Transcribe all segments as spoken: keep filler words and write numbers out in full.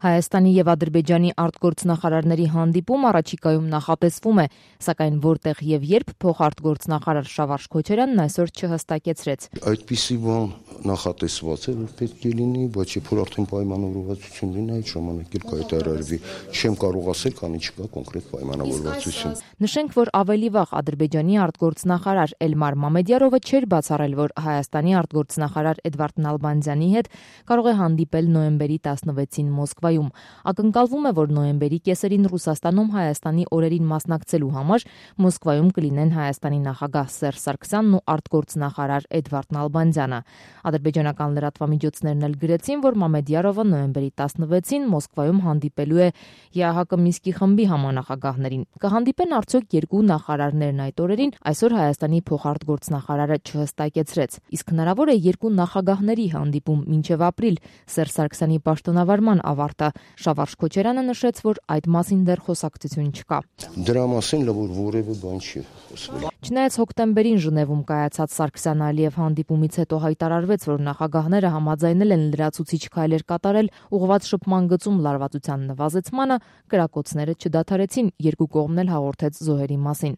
Հայաստանի եւ Ադրբեջանի արտգործնախարարների հանդիպում առաջիկայում նախատեսվում է, սակայն որտեղ եւ երբ փոխարտգործնախարար Շավարժ Քոչարյանն այսօր չհստակեցրեց։ Այդպիսի բան նախատեսված է, որ պետք է լինի, բայց երբ որ արդեն պայմանավորվածություն լինի, այդ ժամանակ էլ կայտարարվի։ Չեմ կարող ասել, քանի չկա կոնկրետ պայմանավորվածություն։ Նշենք, որ ավելի վաղ Ադրբեջանի արտգործնախարար Էլմար Մամեդյարովը չէր բացառել, որ Հայաստանի արտգործնախարար Էդվարդ Նալբանդյանի հետ կարող է հանդիպել նոյեմբերի տասնվեցին Մոսկվայում։ Ակնկալվում է, որ նոյեմբերի կեսերին Ռուսաստանում Հայաստանի օրերին մասնակցելու համար Մոսկվայում կլինեն Հայաստանի նախագահ Սերժ Սարգսյանն ու արտգործնախարար Էդվարդ Նալբանդյանը։ Ադրբեջանական լրատվամիջոցներն էլ գրեցին, որ Մամեդյարովը նոյեմբերի տասնվեցին Մոսկվայում հանդիպելու է ԵԱՀԿ Մինսկի խմբի համանախագահներին։ Կհանդիպեն արդյոք երկու նախարարներն այդ օրերին, այսօր Հայաստանի փոխարտգործնախարարը չհստակեցրեց։ Իսկ հնարավոր է երկու նախագահների հանդիպում մինչև ապրիլ Սերժ Սարգսյանի պաշտոնավարման ավարտը։ Շավարժ Քոչարյանը նշեց, որ այդ մասին դեռ խոսակցություն չկա։ Դրա մասին լավ որևէ բան չի խոսվել։ Չնայած հոկտեմբերին Ժնևում կայացած Սարգսյան-Ալիև հանդիպումից հետո հայտարարվեց, որ նախագահները համաձայնել են լրացուցիչ քայլեր կատարել ուղղված շփման գծում լարվածության նվազեցմանը, կրակոցները չդադարեցին, երկու կողմն էլ հաղորդեց զոհերի մասին։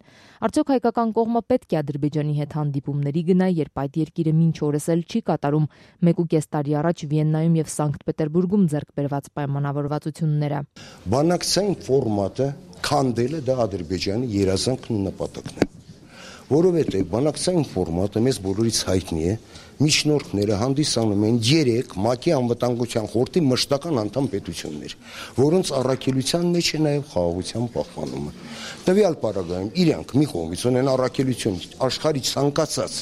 Արդյոք հայկական կողմը պետք է Ադրբեջանի հետ հանդիպումների գնա, երբ այդ երկիրը մինչ օրս էլ չի կատարում մեկ ու կես տարի առաջ Վիեննայում եւ Սանկտ Պետերբուրգում ձեռք բերված պայմանավորվածությունները։ Բանակցային ֆորմատը քանդելը դա Ադրբեջանի երազանքն ու նպատակն է, որովհետեւ բանակցային ֆորմատը մեզ բոլորից հայտնի է, միջնորդները հանդիսանում են երեք ՄԱԿ-ի անվտանգության խորհրդի մշտական անդամ պետություններ, որոնց առաքելության մեջ է նաեւ խաղաղության պահպանումը։ Տվյալ պարագայում իրանք մի կողմից ունեն առաքելություն աշխարհի ցանկացած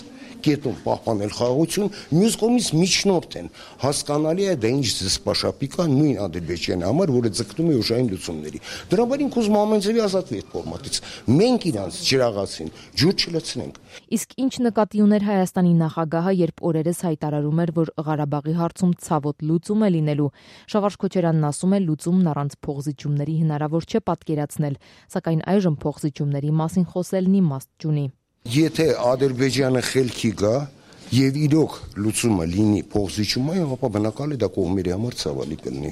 կետում պահպանել խաղաղություն, մյուս կողմից միջնորդ են։ Հասկանալի է դա ինչ զսպաշապի կա նույն Ադրբեջանի համար, որը ձգտում է ուժային լուծումների։ Դրա համար ինքուզ ամենձևի ազատվի այդ ֆորմատից։ Մենք իրանց ջրաղացին ջուր չլցնենք։ Իսկ ինչ նկատի ուներ Հայաստանի նախագահը, երբ օրերս հայտարարում էր, որ Ղարաբաղի հարցում ցավոտ լուծում է լինելու։ Շավարժ Քոչարյանն ասում է, լուծումն առանց փոխզիջումների հնարավոր չէ պատկերացնել, սակայն այժմ փոխզիջումների մասին խոսելն իմաստ չունի։ Եթե Ադրբեջանը խելքի գա եւ իրոք լուծումը լինի փոխզիջումային, ապա բնական է դա կողմերի համար ցավալի կլինի։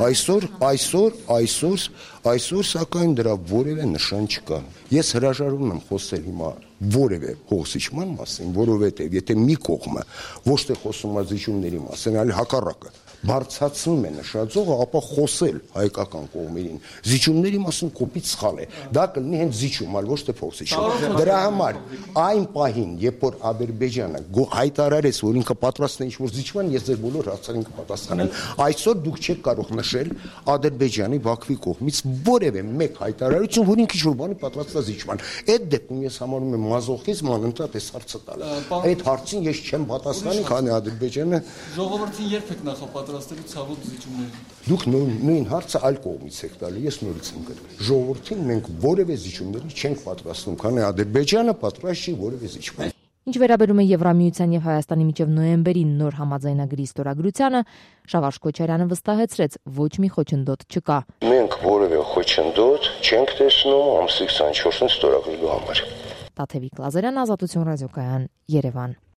Այսօր, այսօր, այսօր, այսօր սակայն դրա որևէ նշան չկա։ Ես հրաժարվում եմ խոսել հիմա որևէ փոխզիջման մասին, որովհետեւ եթե մի կողմը ոչ թե խոսում է զիջումների մասին, այլ հակառակը բարձրացնում է նշաձողը, ապա խոսել հայկական կողմերին զիջումների մասին կոպիտ սխալ է։ Դա կլինի հենց զիջում, այլ ոչ թե փոխզիջում։ Դրա համար այն պահին, երբ որ Ադրբեջանը հայտարարեց, որ ինքը պատրաստ է ինչ-որ զիջման, ես ձեր բոլոր հարցերին կպատասխանեմ։ Այսօր դուք չեք կարող նշել Ադրբեջանի Բաքվի կողմից որևէ մեկ հայտարարություն, որ ինքը ինչ-որ բանի պատրաստ է զիջման։ Այդ դեպքում ես համարում եմ մազոխիզմ անընդհատ այս հարցը տալը։ Այդ հարցին ես չեմ պատասխանի, քանի Ադրբեջանը ժողովրդին երբ եք նախապատրաստելու ցավոտ զիջումներին։ Դուք նույն հարցը այլ կողմից եք տալի, ես նորից եմ գրել։ Ժողովրդին մենք որևէ զիջումների չենք պատրաստում, քանի Ադրբեջանը պատրաստ չի որևէ զիջման։ Ինչ վերաբերում է Եվրամիության եւ Հայաստանի միջև նոյեմբերի նոր համաձայնագրի ստորագրությանը, Շավարժ Քոչարյանը վստահեցրեց, ոչ մի խոչընդոտ չկա։ Մենք որևէ խոչընդոտ չենք տեսնում ամսի քսանչորսին ստորագրելու համար։ Տաթևիկ Լազարյան, Ազատություն ռադիոկայան, Երևան։